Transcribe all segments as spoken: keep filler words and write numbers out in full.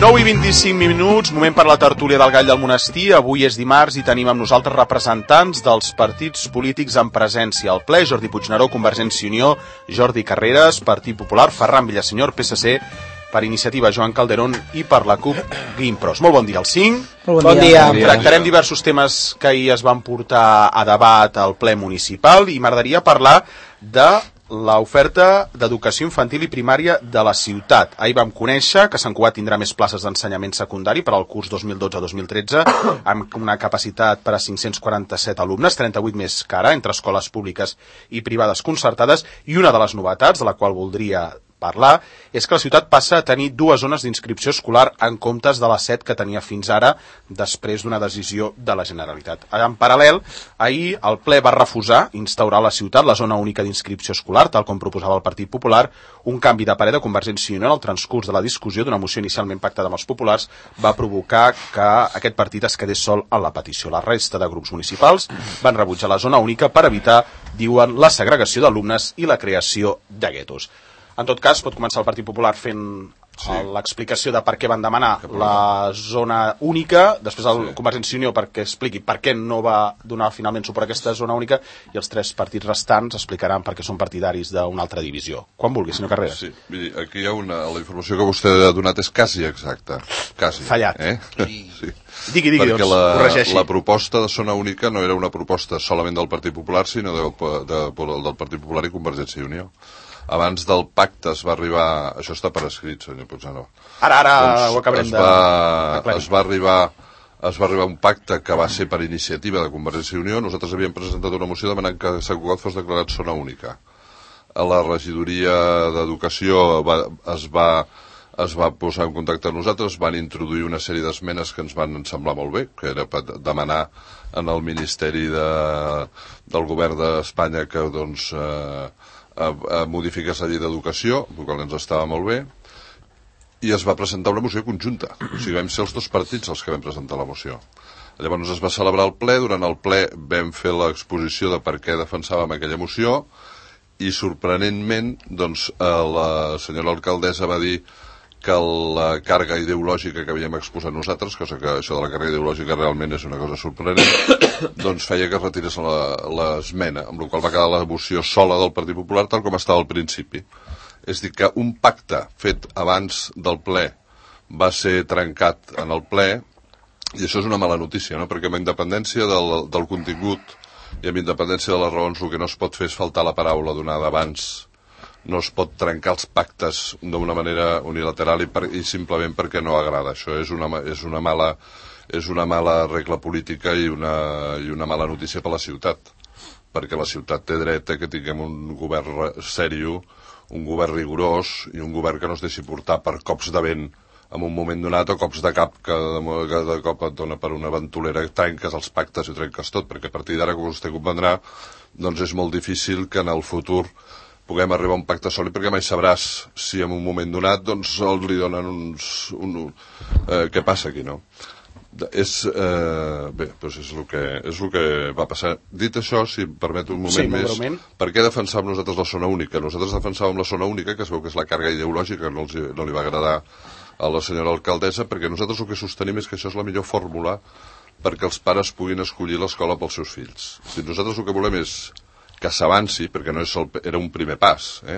nou i vint-i-cinc minuts, moment per la tertúlia del Gall del Monestir. Avui és dimarts i tenim amb nosaltres representants dels partits polítics en presència al ple. Jordi Puigneró, Convergència i Unió, Jordi Carreras, Partit Popular, Ferran Villasenyor, P S C, per Iniciativa, Joan Calderón, i per la CUP, Guim Pros. Molt bon dia als cinc. Molt bon dia. Bon dia. Tractarem diversos temes que ahir es van portar a debat al ple municipal i m'agradaria parlar de l'oferta d'educació infantil i primària de la ciutat. Ahir vam conèixer que Sant Cugat tindrà més places d'ensenyament secundari per al curs dos mil dotze dos mil tretze, amb una capacitat per a cinc-cents quaranta-set alumnes, trenta-vuit més que ara, entre escoles públiques i privades concertades, i una de les novetats, de la qual voldria parlar, és que la ciutat passa a tenir dues zones d'inscripció escolar en comptes de les set que tenia fins ara, després d'una decisió de la Generalitat. En paral·lel, ahir el ple va refusar instaurar a la ciutat la zona única d'inscripció escolar, tal com proposava el Partit Popular. Un canvi de parer de Convergència i Unió en el transcurs de la discussió d'una moció inicialment pactada amb els populars va provocar que aquest partit es quedés sol en la petició. La resta de grups municipals van rebutjar la zona única per evitar, diuen, la segregació d'alumnes i la creació de guetos. En tot cas, pot començar el Partit Popular fent sí. l'explicació de per què van demanar la zona única, després el sí. Convergència i Unió perquè expliqui per què no va donar finalment suport a aquesta zona única, i els tres partits restants explicaran per què són partidaris d'una altra divisió. Quan vulgui, senyor Carreras. Sí, miri, aquí hi ha una... La informació que vostè ha donat és quasi exacta. Quasi. Fallat. Eh? I... Sí. Digui, digui, perquè doncs, la, corregeixi. la proposta de zona única no era una proposta solament del Partit Popular, sinó de, de, de, del Partit Popular i Convergència i Unió. Abans del pacte es va arribar... Això està per escrit, senyor Puigneró. Ara, ara doncs ho acabarem es va, de... Es va arribar... Es va arribar a un pacte que va ser per iniciativa de Convergència i Unió. Nosaltres havíem presentat una moció demanant que Sant Cugat fos declarat zona única. A la regidoria d'Educació va, es, va, es va posar en contacte amb nosaltres, van introduir una sèrie d'esmenes que ens van semblar molt bé, que era per demanar en el Ministeri de, del Govern d'Espanya que doncs, eh, a, a modificar la llei d'educació, el qual ens estava molt bé, i es va presentar una moció conjunta. O sigui, vam ser els dos partits els que vam presentar la moció. Llavors es va celebrar el ple, durant el ple vam fer l'exposició de per què defensàvem aquella moció, i sorprenentment, doncs, la senyora alcaldessa va dir que la càrrega ideològica que havíem exposat nosaltres, cosa que això de la càrrega ideològica realment és una cosa sorprenent, doncs feia que es retirés l'esmena, amb la qual va quedar la moció sola del Partit Popular tal com estava al principi. És a dir, que un pacte fet abans del ple va ser trencat en el ple, i això és una mala notícia, no? Perquè amb independència del, del contingut i amb independència de les raons, el que no es pot fer és faltar la paraula donada abans. No es pot trencar els pactes d'una manera unilateral i, per, i simplement perquè no agrada. Això és una, és una, mala, és una mala regla política i una, i una mala notícia per a la ciutat, perquè la ciutat té dret a que tinguem un govern sèrio, un govern rigorós i un govern que no es deixi portar per cops de vent en un moment donat o cops de cap que de, que de cop et dona per una ventolera, trenques els pactes i trenques tot, perquè a partir d'ara, com vostè comprendrà, doncs és molt difícil que en el futur puguem arribar a un pacte sòlid, perquè mai sabràs si en un moment donat doncs li donen uns... Un, eh, què passa aquí, no? És, eh, bé, doncs és el que, és el que va passar. Dit això, si em permet un moment sí, més, moment. Per què defensàvem nosaltres la zona única? Nosaltres defensàvem la zona única, que es veu que és la càrrega ideològica, que no, els, no li va agradar a la senyora alcaldessa, perquè nosaltres el que sostenim és que això és la millor fórmula perquè els pares puguin escollir l'escola pels seus fills. Si nosaltres el que volem és que s'avanci, perquè no és el, era un primer pas, eh?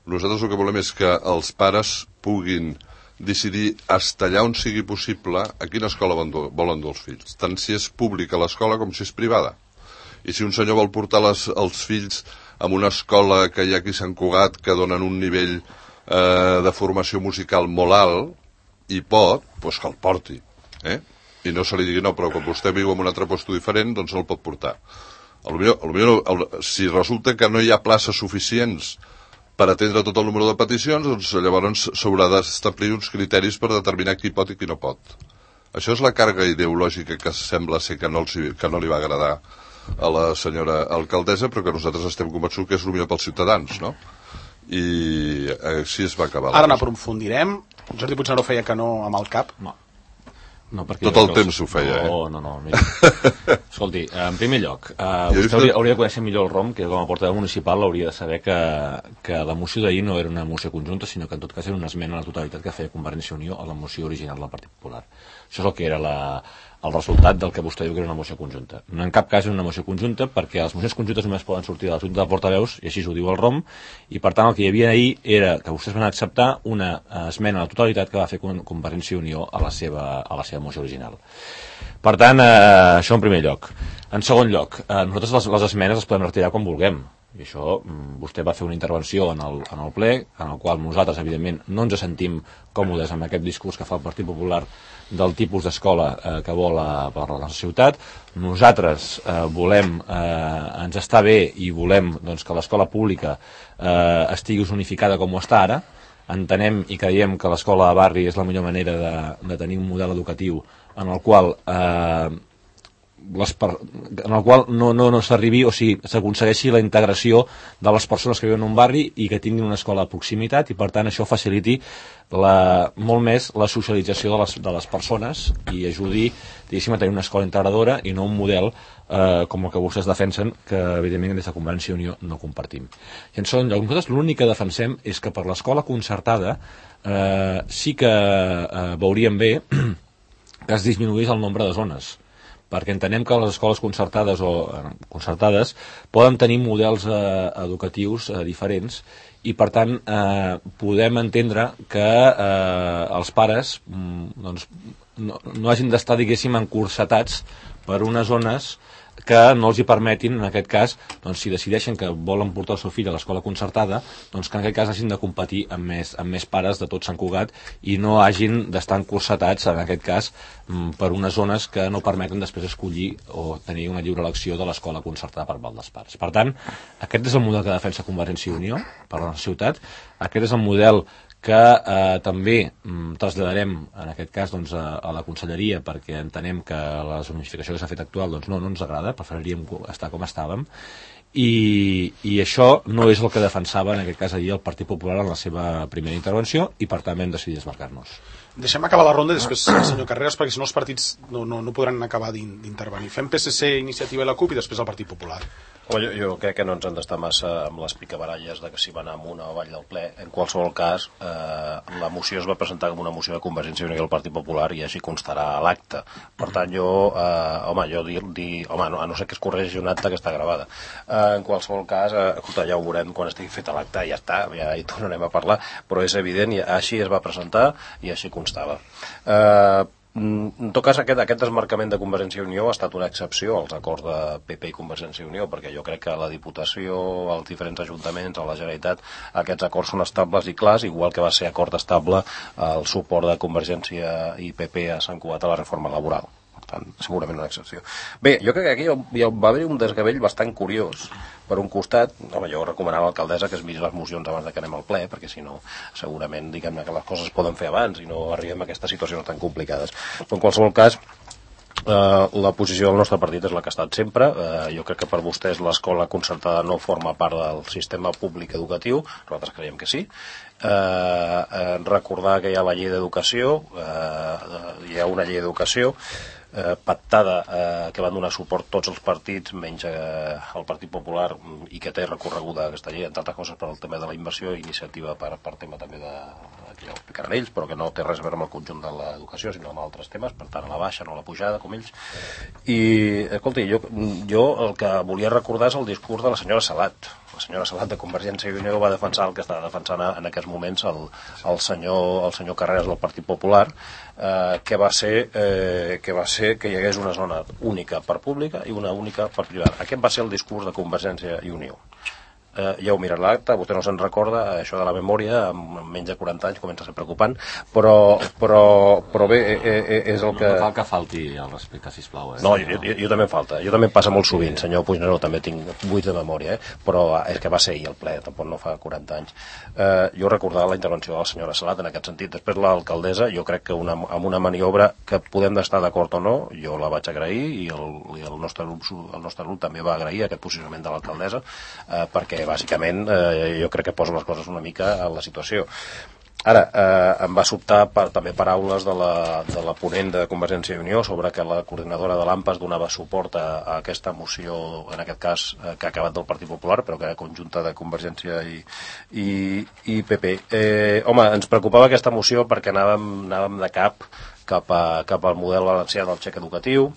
Nosaltres el que volem és que els pares puguin decidir hasta allà on sigui possible a quina escola volen dur els fills, tant si és pública l'escola com si és privada. I si un senyor vol portar les, els fills a una escola que hi ha aquí a Sant Cugat que donen un nivell eh, de formació musical molt alt, i pot, doncs que el porti, eh? I no se li digui, no, però quan vostè viu en un altre lloc diferent, doncs no el pot portar. A lo millor, a lo millor, el, si resulta que no hi ha places suficients per atendre tot el número de peticions, doncs llavors s'haurà d'establir uns criteris per determinar qui pot i qui no pot. Això és la càrrega ideològica que sembla ser que no, els, que no li va agradar a la senyora alcaldessa, però que nosaltres estem convençuts que és el millor pels ciutadans, no? I així es va acabar. Ara n'aprofundirem. Jordi Puigneró feia que no amb el cap. No. No, tot el temps ho feia, eh? No, no, no. Mira. Escolti, en primer lloc, uh, vostè hauria, hauria de conèixer millor el R O M, que com a portaveu municipal hauria de saber que, que la moció d'ahir no era una moció conjunta, sinó que en tot cas era una esmena a la totalitat que feia Convergència i Unió a la moció original del Partit Popular. Això és el que era la, el resultat del que vostè diu que era una moció conjunta. No en cap cas era una moció conjunta, perquè les mocions conjuntes només poden sortir de la Junta de Portaveus, i així ho diu el R O M, i per tant el que hi havia ahir era que vostès van acceptar una esmena a la totalitat que va fer Convergència i Unió a la seva, a la seva moció original. Per tant, eh, això en primer lloc. En segon lloc, eh, nosaltres les, les esmenes les podem retirar quan vulguem. I això, vostè va fer una intervenció en el, en el ple, en el qual nosaltres, evidentment, no ens sentim còmodes amb aquest discurs que fa el Partit Popular del tipus d'escola eh, que vol a, per la nostra ciutat. Nosaltres eh, volem, eh, ens està bé i volem doncs, que l'escola pública eh, estigui zonificada com ho està ara. Entenem i creiem que l'escola de barri és la millor manera de, de tenir un model educatiu en el qual eh, les per, en el qual no, no, no s'arribi, o sigui, s'aconsegueixi la integració de les persones que viuen en un barri i que tinguin una escola de proximitat, i per tant això faciliti la, molt més la socialització de les, de les persones i ajudi, diguéssim, a tenir una escola integradora i no un model eh, com el que vostès defensen, que evidentment des de Convergència i Unió no compartim. I en segon lloc, nosaltres l'únic que defensem és que per l'escola concertada eh, sí que eh, veuríem bé que es disminuís el nombre de zones, perquè entenem que les escoles concertades o eh, concertades poden tenir models eh, educatius eh, diferents, i per tant eh, podem entendre que eh, els pares mm, doncs, no, no hagin d'estar, diguéssim, encursetats per unes zones que no els hi permetin, en aquest cas, doncs, si decideixen que volen portar el seu fill a l'escola concertada, doncs que en aquest cas hagin de competir amb més, amb més pares de tot Sant Cugat i no hagin d'estar encursetats, en aquest cas, per unes zones que no permeten després escollir o tenir una lliure elecció de l'escola concertada per part dels pares. Per tant, aquest és el model que defensa Convergència i Unió per la nostra ciutat, aquest és el model que eh, també mm, traslladarem en aquest cas doncs, a, a la conselleria, perquè entenem que la zonificació que s'ha fet actual doncs, no, no ens agrada, preferiríem estar com estàvem, i, i això no és el que defensava en aquest cas ahir el Partit Popular en la seva primera intervenció, i per tant vam decidir desmarcar-nos. Deixem acabar la ronda després, senyor Carreras, perquè si no els partits no, no, no podran acabar d'intervenir. Fem P S C, Iniciativa i la CUP i després el Partit Popular. Home, jo, jo crec que no ens han d'estar massa amb les picabaralles de que si va anar amunt o avall del ple. En qualsevol cas, eh, la moció es va presentar com una moció de Convergència i Unió i el Partit Popular, i així constarà a l'acte. Per tant, jo, eh, home, jo dir, dir home, no, a no ser que es corregeixi un acte que està gravada. Eh, en qualsevol cas, eh, escolta, ja ho veurem quan estigui fet l'acte, ja està, ja hi tornarem a parlar, però és evident, i així es va presentar i així constava. Eh, En tot cas, aquest, aquest desmarcament de Convergència i Unió ha estat una excepció als acords de P P i Convergència i Unió, perquè jo crec que a la Diputació, als diferents ajuntaments, a la Generalitat, aquests acords són estables i clars, igual que va ser acord estable el suport de Convergència i P P a Sant Cugat a la reforma laboral. Per tant, segurament una excepció. Bé, jo crec que aquí hi va haver un desgavell bastant curiós. Per un costat, home, jo recomanava a l'alcaldessa que es miri les mocions abans de que anem al ple, perquè si no, segurament, diguem-ne, que les coses es poden fer abans i no arribem a aquestes situacions tan complicades. Però en qualsevol cas, Uh, la posició del nostre partit és la que ha estat sempre. Uh, jo crec que per vostès l'escola concertada no forma part del sistema públic educatiu, nosaltres creiem que sí. Uh, uh, recordar que hi ha la llei d'educació, uh, hi ha una llei d'educació eh, pactada eh, que van donar suport tots els partits menys eh, el Partit Popular, i que té recorreguda aquesta llei, entre altres coses per al tema de la inversió, iniciativa per, per tema també de, que ja ho explicaran ells, però que no té res a veure amb el conjunt de l'educació sinó amb altres temes, per tant a la baixa, no a la pujada com ells. I escolti, jo, jo el que volia recordar és el discurs de la senyora Salat. La senyora Salat de Convergència i Unió va defensar el que estava defensant en aquests moments el, el, senyor, el senyor Carreras del Partit Popular, eh, que, va ser, eh, que va ser que hi hagués una zona única per pública i una única per privada. Aquest va ser el discurs de Convergència i Unió. Eh, ja ho mirat l'acte, vostè no se'n recorda, això de la memòria, amb menys de quaranta anys comença a ser preocupant, però, però, però bé, eh, eh, és el que... No cal que falti el respecte, sisplau. Eh? No, jo, jo, jo també em falta, jo també em passa molt sovint, senyor Puigneró, també tinc buits de memòria, eh? Però és que va ser ahir el ple, tampoc no fa quaranta anys. Eh, jo recordava la intervenció de la senyora Salat en aquest sentit. Després l'alcaldessa, jo crec que una, amb una maniobra que podem estar d'acord o no, jo la vaig agrair, i el, i el, nostre, grup, el nostre grup també va agrair aquest posicionament de l'alcaldessa, eh, perquè bàsicament eh, jo crec que posa les coses una mica en la situació. Ara, eh, em va sobtar per, també paraules de la, de la ponent de Convergència i Unió sobre que la coordinadora de l'AMPA es donava suport a, a aquesta moció, en aquest cas, eh, que ha acabat del Partit Popular, però que era conjunta de Convergència i, i, i P P. Eh, home, ens preocupava aquesta moció perquè anàvem, anàvem de cap cap, a, cap al model valencià del xec educatiu,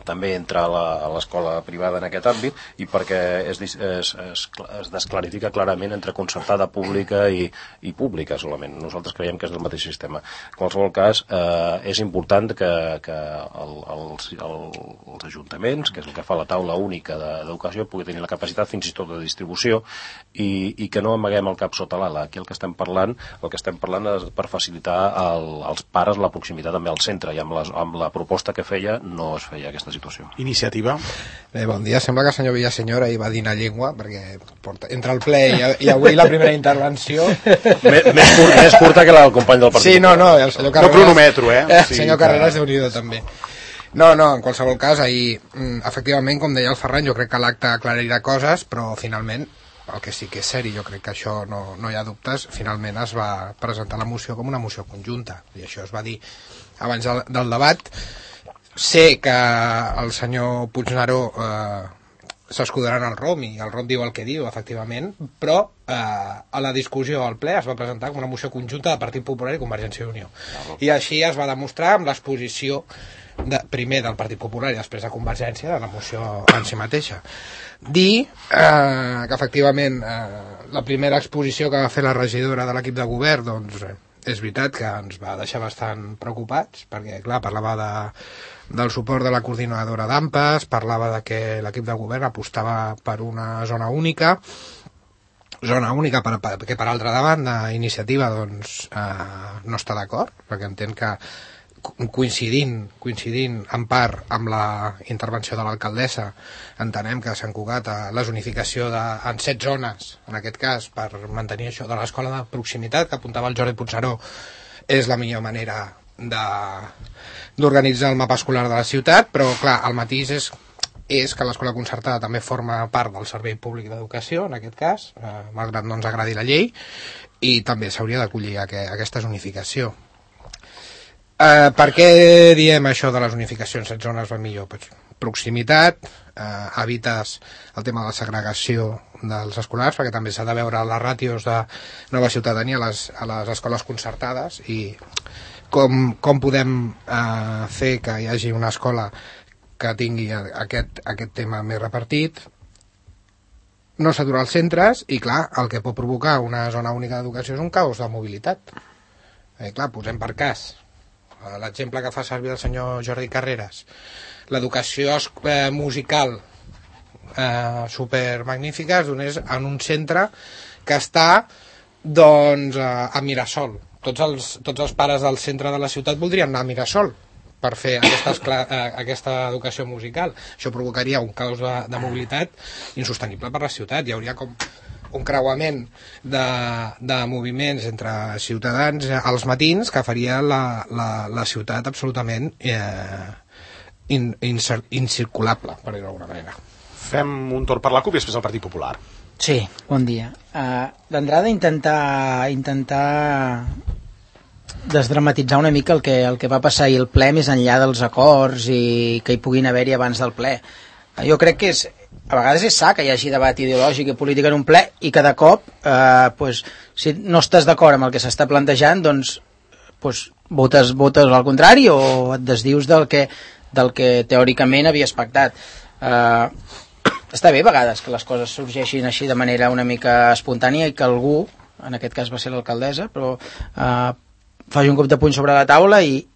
també entra a l'escola privada en aquest àmbit, i perquè es, es, es, es desclarifica clarament entre concertada pública i, i pública solament. Nosaltres creiem que és el mateix sistema. En qualsevol cas, eh, és important que, que el, els, el, els ajuntaments, que és el que fa la taula única d'educació, pugui tenir la capacitat fins i tot de distribució i, i que no amaguem el cap sota l'ala. Aquí el que estem parlant, el que estem parlant és per facilitar el, als pares la proximitat també al centre, i amb, les, amb la proposta que feia no es feia aquesta situació. Iniciativa. Bé, bon dia. Sembla que el senyor Villaseñor ahir va dinar llengua, perquè porta, entre el ple i, i avui la primera intervenció... més, més, curt, més curta que la del company del partit. Sí, no, no, el senyor Carreras... No cronometro, eh? El sí, senyor Carreras que... déu-n'hi-do també. No, no, en qualsevol cas, ahir, efectivament, com deia el Ferran, jo crec que l'acte aclarirà coses, però finalment, el que sí que és seri, jo crec que això no, no hi ha dubtes, finalment es va presentar la moció com una moció conjunta, i això es va dir abans del, del debat. Sé que el senyor Puigneró eh, s'escudarà en el R O M i el R O M diu el que diu, efectivament, però eh, a la discussió al ple es va presentar com una moció conjunta de Partit Popular i Convergència i Unió. I així es va demostrar amb l'exposició de, primer del Partit Popular i després de Convergència de la moció en si mateixa. Dir eh, que efectivament eh, la primera exposició que va fer la regidora de l'equip de govern, doncs eh, és veritat que ens va deixar bastant preocupats, perquè clar, parlava de, del suport de la coordinadora d'AMPAs, parlava de que l'equip de govern apostava per una zona única, zona única per, per, que per altra banda Iniciativa doncs, eh, no està d'acord, perquè entén que coincidint, coincidint en part amb la intervenció de l'alcaldessa, entenem que Sant Cugat la zonificació de, en set zones, en aquest cas, per mantenir això de l'escola de proximitat, que apuntava el Jordi Puigneró, és la millor manera d'organitzar el mapa escolar de la ciutat, però clar, el matís és, és que l'escola concertada també forma part del servei públic d'educació, en aquest cas, eh, malgrat no ens agradi la llei, i també s'hauria d'acollir aqu aquesta zonificació. Uh, per què diem això de les unificacions? Set zones va millor? Pues, proximitat, uh, evites el tema de la segregació dels escolars, perquè també s'ha de veure les ràtios de nova ciutadania a les, a les escoles concertades i com, com podem uh, fer que hi hagi una escola que tingui aquest, aquest tema més repartit, no saturar els centres i clar, el que pot provocar una zona única d'educació és un caos de mobilitat. Eh, clar, posem per cas l'exemple que fa servir el senyor Jordi Carreras, l'educació eh, musical eh, supermagnífica es donés en un centre que està doncs a, a Mirasol. Tots els, tots els pares del centre de la ciutat voldrien anar a Mirasol per fer aquestes, eh, aquesta educació musical. Això provocaria un caos de, de mobilitat insostenible per la ciutat. Hi hauria com un creuament de, de moviments entre ciutadans als matins que faria la, la, la ciutat absolutament eh, in, incir, incirculable, per dir-ho d'alguna manera. Fem un torn per la CUP i després el Partit Popular. Sí, bon dia. Uh, D'entrada intentar intentar desdramatitzar una mica el que, el que va passar ahir al ple més enllà dels acords i que hi puguin haver-hi abans del ple. Uh, jo crec que és a vegades és sa que hi hagi debat ideològic i polític en un ple i cada cop eh, pues, si no estàs d'acord amb el que s'està plantejant doncs, pues, votes, votes al contrari o et desdius del que, del que teòricament havies pactat. Eh, està bé a vegades que les coses sorgeixin així de manera una mica espontània i que algú, en aquest cas va ser l'alcaldessa, però eh, faci un cop de puny sobre la taula i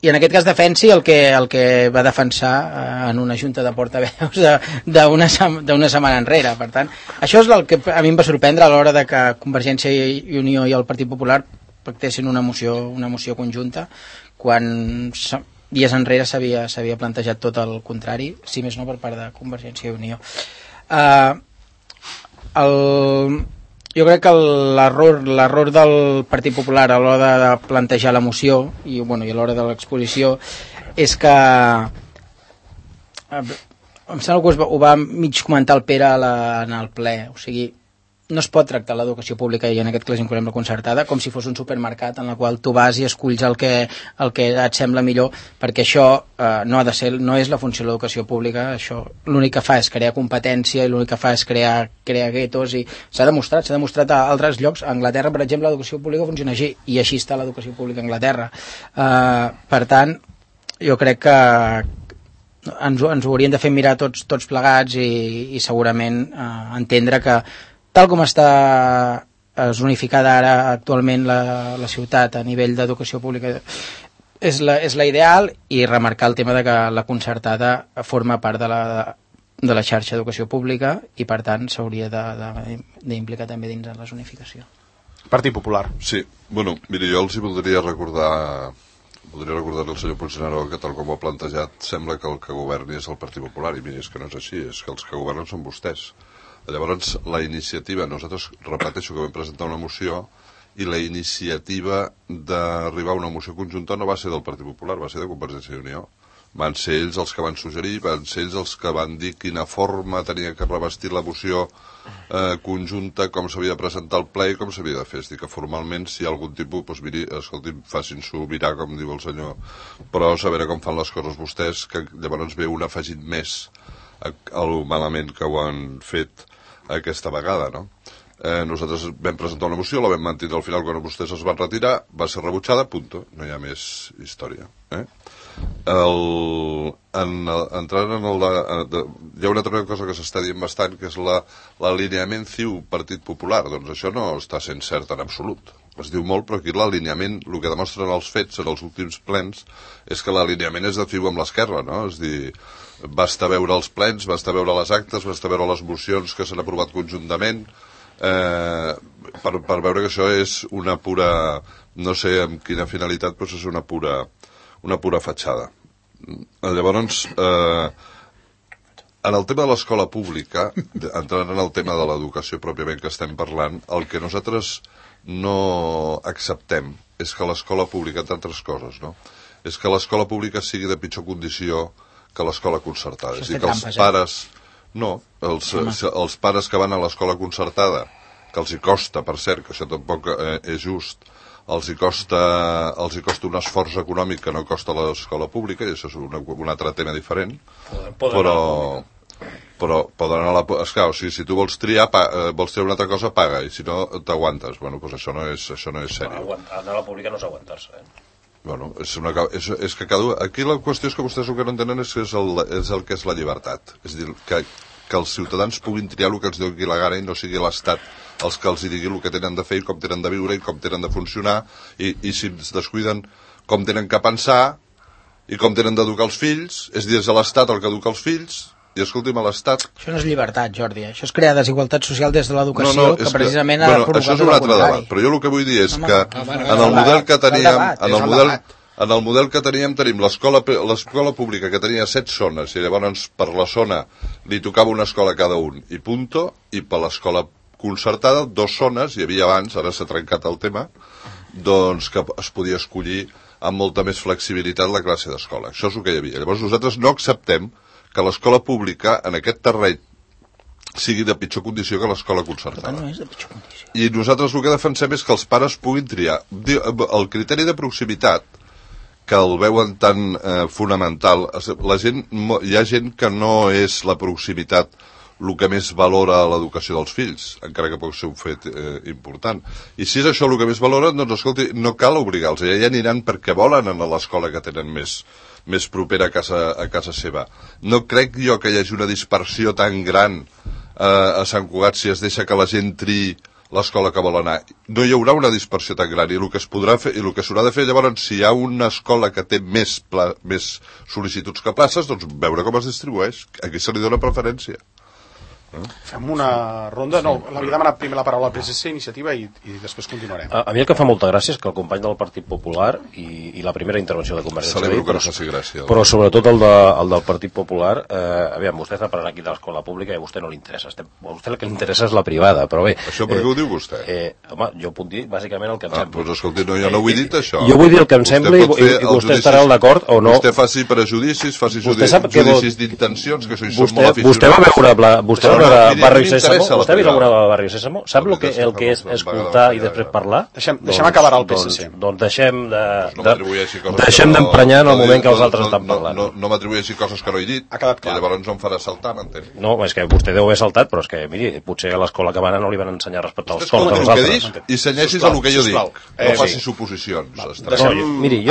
i en aquest cas defensi el que, el que va defensar eh, en una junta de portaveus d'una setmana enrere. Per tant, això és el que a mi em va sorprendre a l'hora de que Convergència i Unió i el Partit Popular pactessin una moció, una moció conjunta quan dies enrere s'havia plantejat tot el contrari, si més no per part de Convergència i Unió. Eh, el... Jo crec que l'error l'error del Partit Popular a l'hora de plantejar la moció i, bueno, i a l'hora de l'exposició és que em sembla que ho va mig comentar el Pere a la, en el ple, o sigui, no es pot tractar l'educació pública, i en aquest cas incloem la concertada, com si fos un supermercat en el qual tu vas i esculls el que, el que et sembla millor, perquè això eh, no ha de ser, no és la funció de l'educació pública. Això l'únic que fa és crear competència i l'únic que fa és crear, crear guetos, i s'ha demostrat, s'ha demostrat a altres llocs. A Anglaterra, per exemple, l'educació pública funciona així, i així està l'educació pública a Anglaterra. Eh, per tant, jo crec que ens, ens ho hauríem de fer mirar tots, tots plegats i, i segurament eh, entendre que tal com està zonificada ara actualment la, la ciutat a nivell d'educació pública és la, és la ideal, i remarcar el tema de que la concertada forma part de la, de la xarxa d'educació pública i per tant s'hauria d'implicar també dins de la zonificació. Partit Popular. Sí, bueno, miri, jo els hi voldria recordar voldria recordar al senyor Puigneró que tal com ho ha plantejat sembla que el que governi és el Partit Popular, i miri, és que no és així, és que els que governen són vostès. Llavors, la iniciativa, nosaltres repeteixo que vam presentar una moció, i la iniciativa d'arribar a una moció conjunta no va ser del Partit Popular, va ser de Convergència i Unió. Van ser ells els que van suggerir, van ser ells els que van dir quina forma tenia que revestir la moció eh, conjunta, com s'havia de presentar al ple i com s'havia de fer. És dir, que formalment, si hi ha algun tipus, doncs miri, escolti'm, facin-s'ho mirar, com diu el senyor, però a veure com fan les coses vostès, que llavors ve un afegit més al malament que ho han fet aquesta vegada, no? Eh, nosaltres vam presentar una moció, la vam mantenir al final quan vostès es van retirar, va ser rebutjada, punto, no hi ha més història. Eh? El, en, entrant en el de, de, hi ha una altra cosa que s'està dient bastant, que és l'alineament la, ciu Partit Popular. Doncs això no està sent cert en absolut. Es diu molt, però aquí l'alineament, el que demostren els fets en els últims plens, és que l'alineament és de ciu amb l'esquerra, no? És dir, basta veure els plens, basta veure les actes, basta veure les mocions que s'han aprovat conjuntament, eh, per, per veure que això és una pura, no sé amb quina finalitat, però és una pura, una pura fatxada. Llavors, eh, en el tema de l'escola pública, entrant en el tema de l'educació pròpiament que estem parlant, el que nosaltres no acceptem és que l'escola pública, entre altres coses, no? És que l'escola pública sigui de pitjor condició que l'escola concertada. Això és dir, és que els trampes, pares... No, els, els pares que van a l'escola concertada, que els hi costa, per cert, que això tampoc eh, és just, els hi costa, els hi costa un esforç econòmic que no costa l'escola pública, i això és una, un altre tema diferent, Poden però... però poden anar a la... Esclar, o sigui, si tu vols triar, pa, eh, vols triar una altra cosa, paga, i si no, t'aguantes. Bueno, doncs això no és, això no és sèrio. Anar a la pública no és aguantar-se, eh? Bueno, és, una, és, és que cada... Aquí la qüestió és que vostès el que no entenen és, que és, el, és el que és la llibertat. És a dir, que, que els ciutadans puguin triar el que els doni la gana i no sigui l'Estat els que els digui el que tenen de fer i com tenen de viure i com tenen de funcionar, i, i si es descuiden com tenen que pensar i com tenen d'educar els fills. És dir, és l'Estat el que educa els fills. I escolti'm, a l'Estat... Això no és llibertat, Jordi, això és crear desigualtat social des de l'educació, no, no, que precisament que, ha bueno, provocat això és un altre debat, però jo el que vull dir és Home, que no, bueno, en el model que teníem, en el model, en el model que teníem tenim l'escola l'escola pública que tenia set zones, i llavors per la zona li tocava una escola a cada un, i punto, i per l'escola concertada, dos zones, hi havia abans, ara s'ha trencat el tema, doncs que es podia escollir amb molta més flexibilitat la classe d'escola. Això és el que hi havia. Llavors nosaltres no acceptem que l'escola pública en aquest terreny sigui de pitjor condició que l'escola concertada. No és de pitjor condició. I nosaltres el que defensem és que els pares puguin triar. El criteri de proximitat, que el veuen tan eh, fonamental, la gent, hi ha gent que no és la proximitat el que més valora l'educació dels fills, encara que pot ser un fet eh, important. I si és això el que més valora, doncs escolti, no cal obligar-los, ja aniran perquè volen anar a l'escola que tenen més, més propera a casa, a casa seva. No crec jo que hi hagi una dispersió tan gran eh, a Sant Cugat si es deixa que la gent triï l'escola que vol anar. No hi haurà una dispersió tan gran, i el que es podrà fer, i el que s'haurà de fer llavors, si hi ha una escola que té més, pla, més sol·licituds que places, doncs veure com es distribueix. Aquí se li dona preferència. Eh? Fem una ronda, no, l'havia demanat primer la paraula al P S C, iniciativa, i, i després continuarem. A, a mi el que fa molta gràcia és que el company del Partit Popular i, i la primera intervenció de Convergència Celebro que però, no faci gràcia. Però sobretot el, de, el del Partit Popular, eh, aviam, vostè està parlant aquí de l'escola pública i a vostè no li interessa. Estem, a vostè el que li interessa és la privada, però bé... Això per què eh, ho diu vostè? Eh, home, jo puc dir bàsicament el que em ah, sembla. Doncs escolti, no, jo no ho he dit, això. Jo vull dir el que em sembla i, i, i vostè estarà d'acord o no. Vostè faci prejudicis, faci judicis d'intencions, que això hi són molt aficionats. Vostè va veure... Vostè va veure Barri Sésamo? Vostè ha vist alguna vegada Barri Sésamo? Sap el que, el que és escoltar i després parlar? Deixem, deixem acabar el P S C. Doncs, doncs deixem de, de, deixem d'emprenyar en el moment que els altres estan parlant. No, no, no m'atribueixi coses que no he dit, ha quedat clar. I llavors no em farà saltar, m'entén? No, és que vostè deu haver saltat, però és que, miri, potser a l'escola que van no li van ensenyar a respectar els cols dels altres. I senyeixis el que jo dic, no facis suposicions. Miri,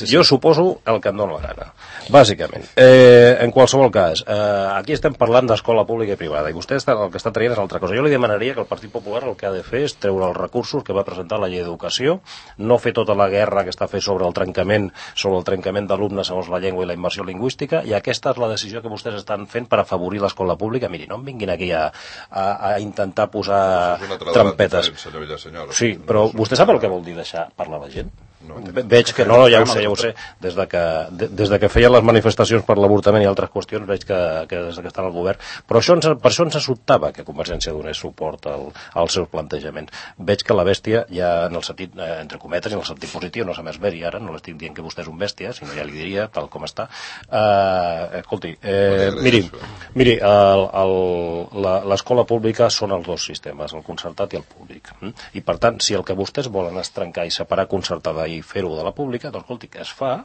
jo suposo el que em dóna la gana, bàsicament. En qualsevol cas, aquí estem parlant d'escola pública i privada, i vostè el que està traient és altra cosa. Jo li demanaria que el Partit Popular el que ha de fer és treure els recursos que va presentar la llei d'educació, no fer tota la guerra que està fent sobre el trencament sobre el trencament d'alumnes segons la llengua i la immersió lingüística, i aquesta és la decisió que vostès estan fent per afavorir l'escola pública. Miri, no em vinguin aquí a, a, a intentar posar trampetes. Sí, però vostè sap el que vol dir deixar parlar la gent? No, veig que no, ja ho sé, ja ho sé. Des de que, de, des de que feien les manifestacions per l'avortament i altres qüestions, veig que, que des que estan al govern. Però això ens, per això ens sobtava que Convergència donés suport al, als seus plantejaments. Veig que la bèstia, ja en el sentit, eh, entre cometes, i en el sentit positiu, no s'ha més ver, i ara no l'estic dient que vostè és un bèstia, sinó ja li diria, tal com està. Eh, escolti, eh, miri, miri l'escola pública són els dos sistemes, el concertat i el públic. I per tant, si el que vostès volen és trencar i separar concertada i fer-ho de la pública, doncs escolti, que es fa,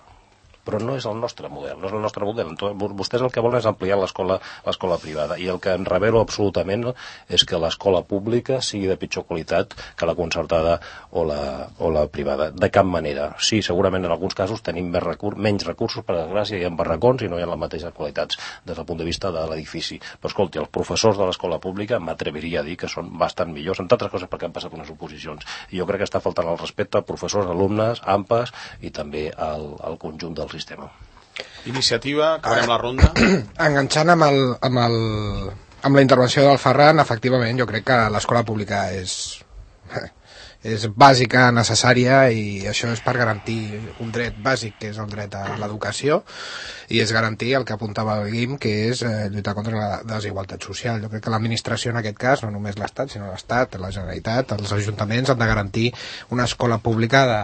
però no és el nostre model, no és el nostre model. Vostès el que volen és ampliar l'escola l'escola privada, i el que em revelo absolutament és que l'escola pública sigui de pitjor qualitat que la concertada o la, o la privada. De cap manera. Sí, segurament en alguns casos tenim més recur menys recursos, per desgràcia, hi ha barracons i no hi ha les mateixes qualitats des del punt de vista de l'edifici. Però escolti, els professors de l'escola pública m'atreviria a dir que són bastant millors, entre altres coses perquè han passat unes oposicions. I jo crec que està faltant el respecte a professors, alumnes, A M P Es i també al, al conjunt del sistema. Iniciativa, acabarem la ronda. Enganxant amb, el, amb, el, amb la intervenció del Ferran, efectivament, jo crec que l'escola pública és, és bàsica, necessària, i això és per garantir un dret bàsic, que és el dret a l'educació, i és garantir el que apuntava el Guim, que és eh, lluitar contra la desigualtat social. Jo crec que l'administració en aquest cas, no només l'Estat, sinó l'Estat, la Generalitat, els ajuntaments han de garantir una escola pública de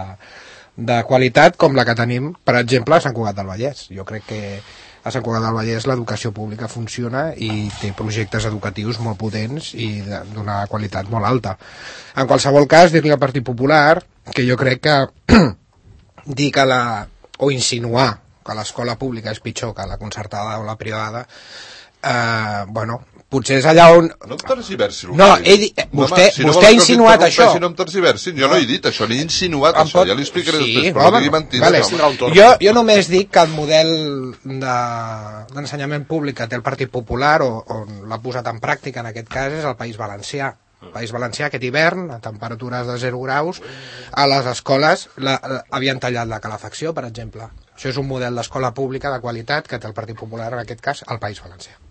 de qualitat com la que tenim, per exemple, a Sant Cugat del Vallès. Jo crec que a Sant Cugat del Vallès l'educació pública funciona i té projectes educatius molt potents i d'una qualitat molt alta. En qualsevol cas, dir-li al Partit Popular que jo crec que dir que la, o insinuar que l'escola pública és pitjor que la concertada o la privada, eh, bueno, potser és allà on... No em tergiversi. No, he dit, vostè, si no vostè ha insinuat això. No em tergiversi, jo no he dit això, ni he insinuat això, pot... ja li explicaré sí, després, però no digui mentida. Vale, no. jo, jo només dic que el model d'ensenyament de, públic que té el Partit Popular, o, on l'ha posat en pràctica en aquest cas, és el País Valencià. El País Valencià, aquest hivern, a temperatures de zero graus, a les escoles la, la, havien tallat la calefacció, per exemple. Això és un model d'escola pública de qualitat que té el Partit Popular, en aquest cas, al País Valencià.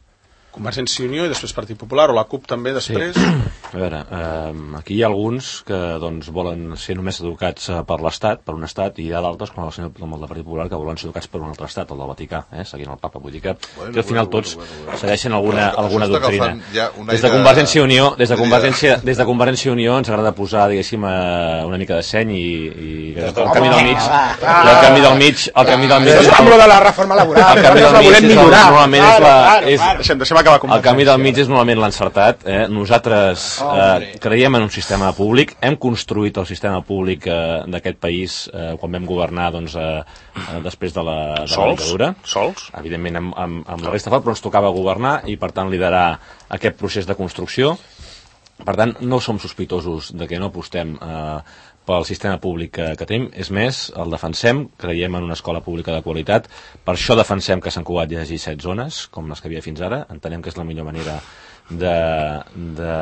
Convergència i Unió i després Partit Popular, o la CUP també després. Sí. A veure, eh, aquí hi ha alguns que doncs, volen ser només educats eh, per l'Estat, per un Estat, i hi ha d'altres, com el senyor com el del Partit Popular, que volen ser educats per un altre Estat, el del Vaticà, eh, seguint el Papa. Vull dir que, bueno, que al final bueno, tots bueno, bueno. segueixen alguna, bueno, alguna doctrina. Ja des de Convergència i Unió, des de Convergència, des de Convergència i Unió ens agrada posar, diguéssim, eh, una mica de seny i, i el camí del mig, el camí del mig, el camí del mig. Amb lo de la reforma laboral, el camí del mig és normalment és la... Deixem, deixem acabar el camí del mig és normalment l'encertat. Eh? Nosaltres eh, creiem en un sistema públic, hem construït el sistema públic eh, d'aquest país eh, quan vam governar doncs, eh, eh, després de la, de la dictadura. Sols? Evidentment amb, amb, amb la resta fort, però ens tocava governar i per tant liderar aquest procés de construcció. Per tant, no som sospitosos de que no apostem eh, pel sistema públic que, que tenim. És més, el defensem, creiem en una escola pública de qualitat, per això defensem que a Sant Cugat hi hagi set zones, com les que havia fins ara. Entenem que és la millor manera de, de,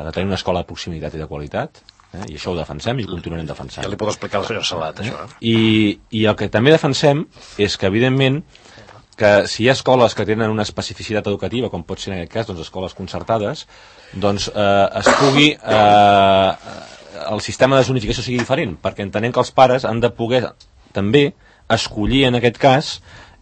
de tenir una escola de proximitat i de qualitat, eh? I això ho defensem i ho continuarem defensant. Ja li puc explicar al senyor Salat, eh? això. Eh? I, I el que també defensem és que, evidentment, que si hi ha escoles que tenen una especificitat educativa, com pot ser en aquest cas, doncs escoles concertades, doncs eh, es pugui... Eh, el sistema de zonificació sigui diferent, perquè entenem que els pares han de poder també escollir en aquest cas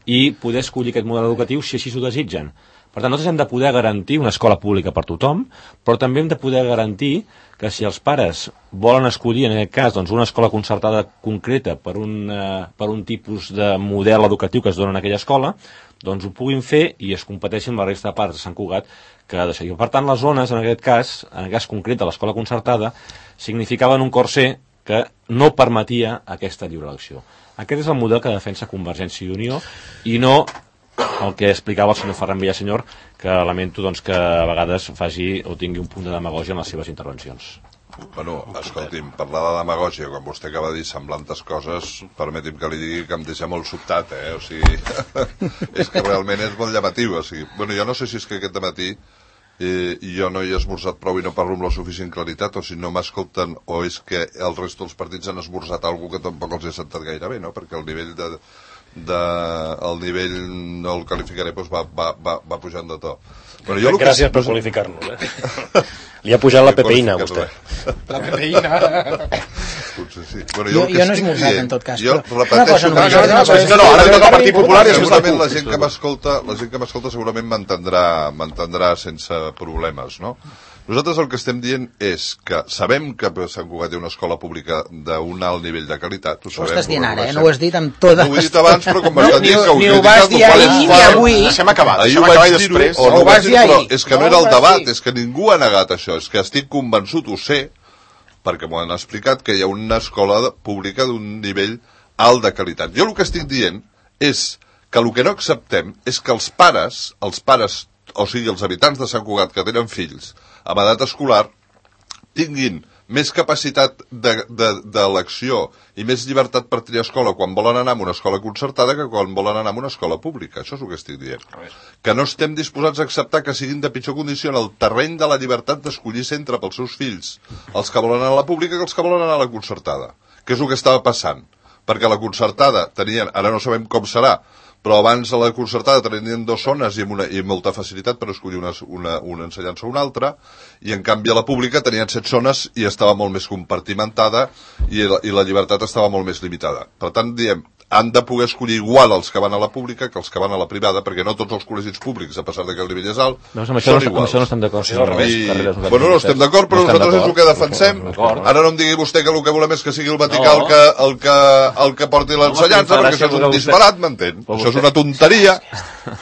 i poder escollir aquest model educatiu si així s'ho desitgen. Per tant, nosaltres hem de poder garantir una escola pública per tothom, però també hem de poder garantir que si els pares volen escollir, en aquest cas, doncs, una escola concertada concreta per un, eh, per un tipus de model educatiu que es dona en aquella escola, doncs ho puguin fer i es competeixin amb la resta de pares de Sant Cugat que ha de seguir. Per tant, les zones, en aquest cas, en aquest cas concret de l'escola concertada, significaven un corser que no permetia aquesta lliure elecció. Aquest és el model que defensa Convergència i Unió i no el que explicava el senyor Ferran Villasenyor, que lamento doncs, que a vegades faci o tingui un punt de demagògia en les seves intervencions. Bueno, escolti'm, parlar de demagògia, quan vostè acaba de dir semblantes coses, permeti'm que li digui que em deixa molt sobtat, eh? O sigui, és que realment és molt llamatiu, o sigui, bueno, jo no sé si és que aquest dematí eh, jo no hi he esmorzat prou i no parlo amb la suficient claritat, o si no m'escolten, o és que el resto dels partits han esmorzat alguna que tampoc els he sentat gaire bé, no? Perquè el nivell de... de el nivell no el qualificaré, doncs va, va, va, va pujant de to. Bueno, jo gràcies per qualificar-nos, eh? Li ha pujat la pepeïna, vostè. La pepeïna. Potser sí. Bueno, jo, jo, jo no he esmorzat, en tot cas. Jo però repeteixo... No, no, no, no, no, ara toca el Partit Popular i segurament la gent que m'escolta, la gent que m'escolta segurament m'entendrà, m'entendrà sense problemes, no? Nosaltres el que estem dient és que sabem que Sant Cugat té una escola pública d'un alt nivell de qualitat. Ho, ho estàs dient ara, eh? No ho has dit amb tota... No ho he dit abans, però com m'estan dient que ho ni ho vas dir ahir ni avui. Deixem acabar, ahir deixem acabar i després... O no ho vaig dir, però és que no era el debat, és que ningú ha negat això, és que estic convençut, ho sé, perquè m'ho han explicat, que hi ha una escola pública d'un nivell alt de qualitat. Jo el que estic dient és que el que no acceptem és que els pares, els pares, o sigui, els habitants de Sant Cugat que tenen fills amb edat escolar, tinguin més capacitat d'elecció de, i més llibertat per triar escola quan volen anar a una escola concertada que quan volen anar a una escola pública. Això és el que estic dient. Que no estem disposats a acceptar que siguin de pitjor condició en el terreny de la llibertat d'escollir centre pels seus fills, els que volen anar a la pública que els que volen anar a la concertada. Que és el que estava passant. Perquè la concertada tenien, ara no sabem com serà, però abans a la concertada tenien dues zones i amb, una, i amb molta facilitat per escollir una, una, una ensenyança o una altra, i en canvi a la pública tenien set zones i estava molt més compartimentada i la, i la llibertat estava molt més limitada. Per tant, diem, han de poder escollir igual els que van a la pública que els que van a la privada, perquè no tots els col·legis públics, a pesar de que el nivell és alt, no, amb això són no, iguals. Amb això no estem d'acord. Sí, I... Bueno, no estem d'acord, però no nosaltres és el que defensem. Ara no em digui vostè que el que volem és que sigui el Vaticà no. el, que, el, que, el que porti l'ensenyança, perquè això és un disbarat, m'entén? Això és una tonteria.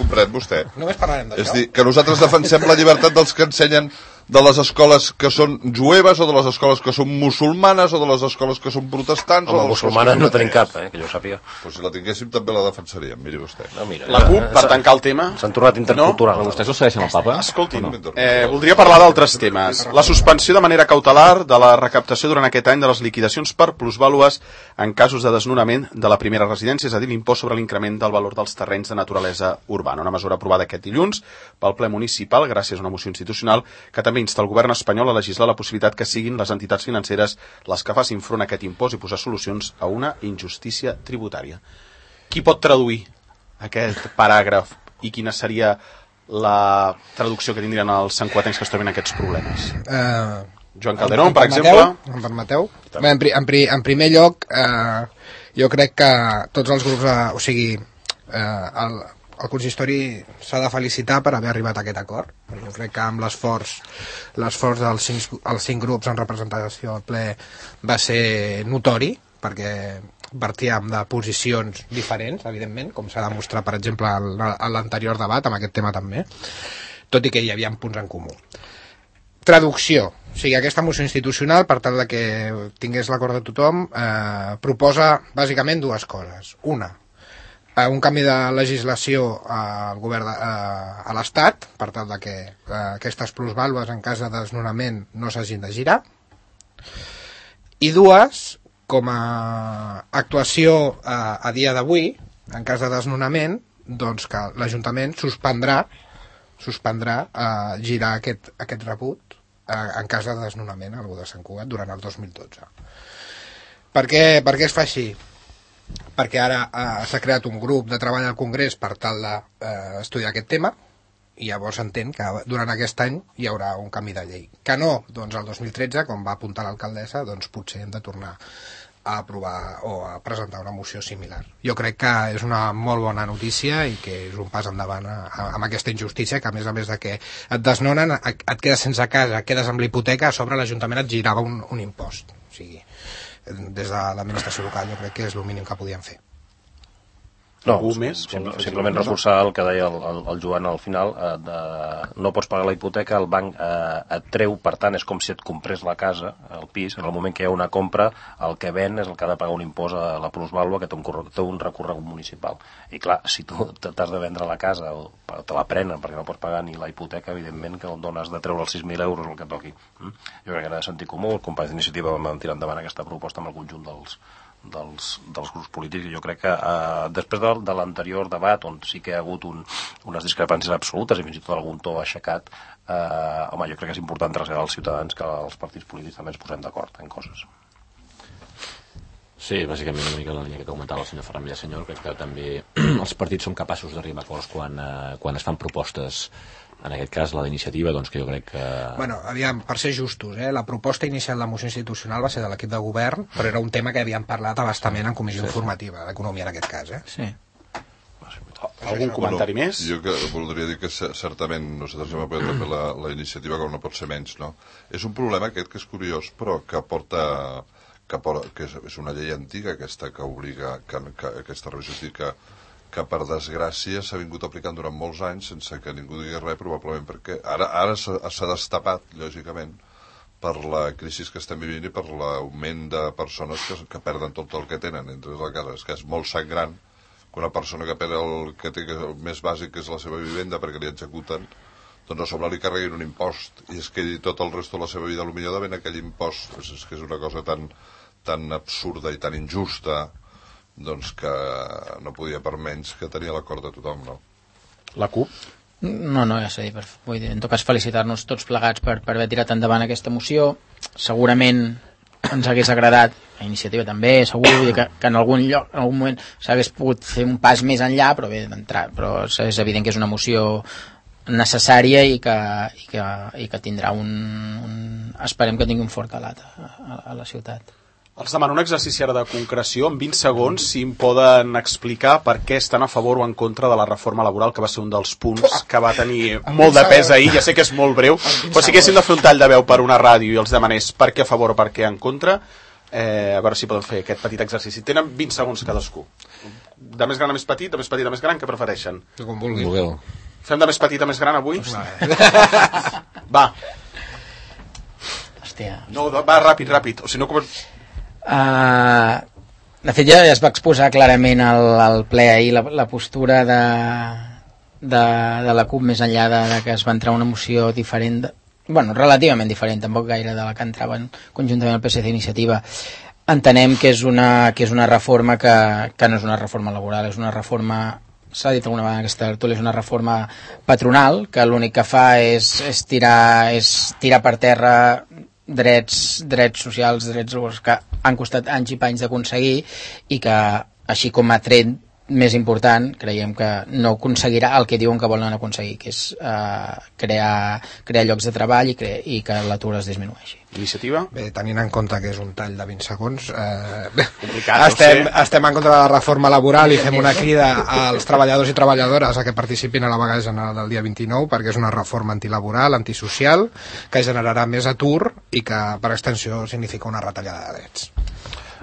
Comprèn vostè. Només parlarem d'això. És dir, que nosaltres defensem la llibertat dels que ensenyen de les escoles que són jueves o de les escoles que són musulmanes o de les escoles que són protestants. Home, o musulmanes no tenim cap, eh, que jo sàpiga. Pues si la tinguéssim també la defensaríem, miri vostè. No, mira, la CUP, per tancar el tema... S'han tornat intercultural. No? Vostès no segueixen el papa? Escolti'm, no? eh, voldria parlar d'altres temes. La suspensió de manera cautelar de la recaptació durant aquest any de les liquidacions per plusvàlues en casos de desnonament de la primera residència, és a dir, l'impost sobre l'increment del valor dels terrenys de naturalesa urbana. Una mesura aprovada aquest dilluns pel ple municipal gràcies a una moció institucional que també insta el govern espanyol a legislar la possibilitat que siguin les entitats financeres les que facin front a aquest impost i posar solucions a una injustícia tributària. Qui pot traduir aquest paràgraf i quina seria la traducció que tindrien els santcuatencs que es troben aquests problemes? Uh, Joan Calderón, per permeteu, exemple. Em permeteu? Bé, en, pri, en, pri, en primer lloc, uh, jo crec que tots els grups, uh, o sigui, uh, el, el consistori s'ha de felicitar per haver arribat a aquest acord. Jo crec que amb l'esforç l'esforç dels cinc, els cinc grups en representació al ple va ser notori, perquè partíem de posicions diferents, evidentment, com s'ha demostrat, per exemple, a l'anterior debat, amb aquest tema també, tot i que hi havia punts en comú. Traducció. O sigui, aquesta moció institucional, per tal de que tingués l'acord de tothom, eh, proposa bàsicament dues coses. Una, un canvi de legislació al govern de, a, a l'Estat per tal de que a, aquestes plusvàlues en cas de desnonament no s'hagin de girar, i dues, com a actuació a, a dia d'avui en cas de desnonament, doncs que l'Ajuntament suspendrà suspendrà a girar aquest, aquest rebut a, en cas de desnonament al de Sant Cugat durant el dos mil dotze. Per què, per què es fa així? Perquè ara eh, s'ha creat un grup de treball al Congrés per tal d'estudiar eh, aquest tema, i llavors s'entén que durant aquest any hi haurà un canvi de llei. Que no, doncs el dos mil tretze, com va apuntar l'alcaldessa, doncs potser hem de tornar a aprovar o a presentar una moció similar. Jo crec que és una molt bona notícia i que és un pas endavant a, a, amb aquesta injustícia, que a més a més de que et desnonen, et quedes sense casa, et quedes amb l'hipoteca, a sobre l'Ajuntament et girava un, un impost. O sigui, des de l'administració local jo crec que és el mínim que podien fer. No, més, simple, simplement reforçar el que deia el, el, el Joan al final, eh, de, no pots pagar la hipoteca, el banc eh, et treu, per tant és com si et comprés la casa, el pis, en el moment que hi ha una compra, el que ven és el que ha de pagar un impost a la plusvàlua que té un, té un recorregut municipal. I clar, si tu t'has de vendre la casa o te la prenen perquè no pots pagar ni la hipoteca, evidentment que on has de treure els sis mil euros el que toqui. Mm? Jo crec que era de sentit comú, els companys d'iniciativa vam tirar endavant aquesta proposta amb el conjunt dels Dels, dels grups polítics, i jo crec que eh, després de, de l'anterior debat on sí que hi ha hagut un, unes discrepàncies absolutes i fins i tot algun to aixecat, eh, home, jo crec que és important traslladar als ciutadans que els partits polítics també ens posem d'acord en coses. Sí, bàsicament una mica la línia que comentava el senyor Ferran Villasenyor. Crec que també els partits són capaços d'arribar a acords quan, eh, quan es fan propostes, en aquest cas la d'iniciativa, doncs que jo crec que... Bueno, aviam, per ser justos, eh, la proposta inicial de moció institucional va ser de l'equip de govern, però era un tema que havíem parlat abastament en comissió sí, informativa, d'economia en aquest cas, eh? Sí. Algun comentari bueno, més? Jo que voldria dir que certament nosaltres hem apoyat també la, la iniciativa, com no pot ser menys, no? És un problema aquest que és curiós, però que porta... que, porta, que és una llei antiga aquesta que obliga, que, que aquesta revisió que que per desgràcia s'ha vingut aplicant durant molts anys sense que ningú digui res, probablement perquè ara, ara s'ha destapat, lògicament, per la crisi que estem vivint i per l'augment de persones que, que perden tot el que tenen entre la casa. És que és molt sangrant que una persona que perd el que té, que el més bàsic, que és la seva vivenda, perquè li executen, doncs a sobre li carreguin un impost i es quedi tot el resto de la seva vida potser davant aquell impost. És, és que és una cosa tan, tan absurda i tan injusta, doncs que no podia per menys que tenia l'acord de tothom, no? La CUP? No, no, ja s'ha dit, vull dir, en tot cas felicitar-nos tots plegats per, per haver tirat endavant aquesta moció. Segurament ens hagués agradat, a iniciativa també, segur, vull dir que, que en algun lloc, en algun moment s'hagués pogut fer un pas més enllà, però bé, d'entrar, però és evident que és una moció necessària i que, i que, i que tindrà un, un... esperem que tingui un fort calat a, a, a la ciutat. Els demano un exercici ara de concreció, en vint segons, si em poden explicar per què estan a favor o en contra de la reforma laboral, que va ser un dels punts que va tenir molt de pes ahir. Ja sé que és molt breu, però si haguéssim de fer un tall de veu per una ràdio i els demanés per què a favor o per què en contra, eh, a veure si poden fer aquest petit exercici. Tenen vint segons cadascú. De més gran a més petit, de més petit a més gran, què prefereixen? Com vulguin. Fem de més petit a més gran avui? Va. Hòstia. No, va, ràpid, ràpid. O si no... Uh, de fet ja es va exposar clarament al, al ple ahir la, la postura de, de, de la CUP, més enllà de, de que es va entrar una moció diferent de, bueno, relativament diferent, tampoc gaire de la que entraven conjuntament el P S C Iniciativa. Entenem que és una, que és una reforma que, que no és una reforma laboral, és una reforma, s'ha dit alguna vegada en aquesta tertúlia, és una reforma patronal, que l'únic que fa és, és, tirar, és tirar per terra drets, drets socials, drets laborals que han costat anys i panys d'aconseguir i que, així com a tret més important, creiem que no aconseguirà el que diuen que volen aconseguir, que és eh, crear, crear llocs de treball i, cre i que l'atur es disminueixi. Iniciativa? Bé, tenint en compte que és un tall de vint segons, eh, complicat, estem, estem en contra de la reforma laboral i fem una crida als treballadors i treballadores a que participin a la vaga general del dia vint-i-nou, perquè és una reforma antilaboral, antisocial, que generarà més atur i que per extensió significa una retallada de drets.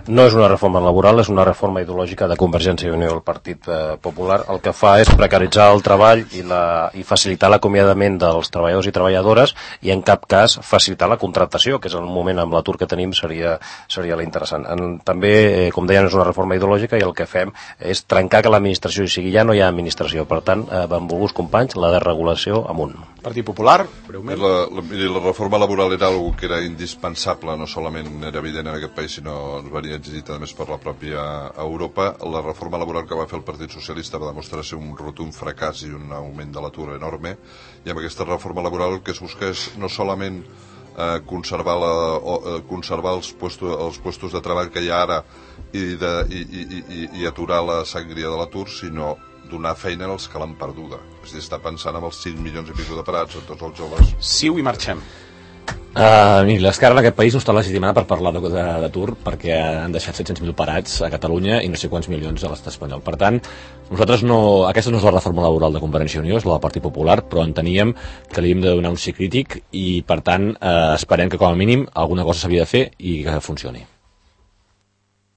No és una reforma laboral, és una reforma ideològica de Convergència i Unió del Partit eh, Popular. El que fa és precaritzar el treball i, la, i facilitar l'acomiadament dels treballadors i treballadores i en cap cas facilitar la contractació, que és el moment amb l'atur que tenim seria, seria l'interessant. També, eh, com deien, és una reforma ideològica i el que fem és trencar que l'administració hi sigui. Ja no hi ha administració, per tant, eh, benvolguts companys, la desregulació amunt. Partit Popular, breument. La, la, la reforma laboral era algo que era indispensable, no solament era evident en aquest país, sinó ens venia exigit a més per la pròpia Europa. La reforma laboral que va fer el Partit Socialista va demostrar ser un rotund fracàs i un augment de l'atur enorme, i amb aquesta reforma laboral el que es busca és no solament eh, conservar, la, o, eh, conservar els, puestos, els puestos de treball que hi ha ara i, de, i, i, i, i aturar la sangria de l'atur, sinó donar feina als que l'han perduda. És a dir, està pensant en els cinc milions i pico de parats, en tots els joves. Siu i marxem. Uh, miri, l'esquerra en aquest país no està legitimada per parlar d'atur perquè han deixat set-cents mil parats a Catalunya i no sé quants milions a l'estat espanyol. Per tant, nosaltres no, aquesta no és la reforma laboral de Convergència i Unió, és la del Partit Popular, però enteníem que li hem de donar un sí crític i, per tant, eh, esperem que com a mínim alguna cosa s'havia de fer i que funcioni.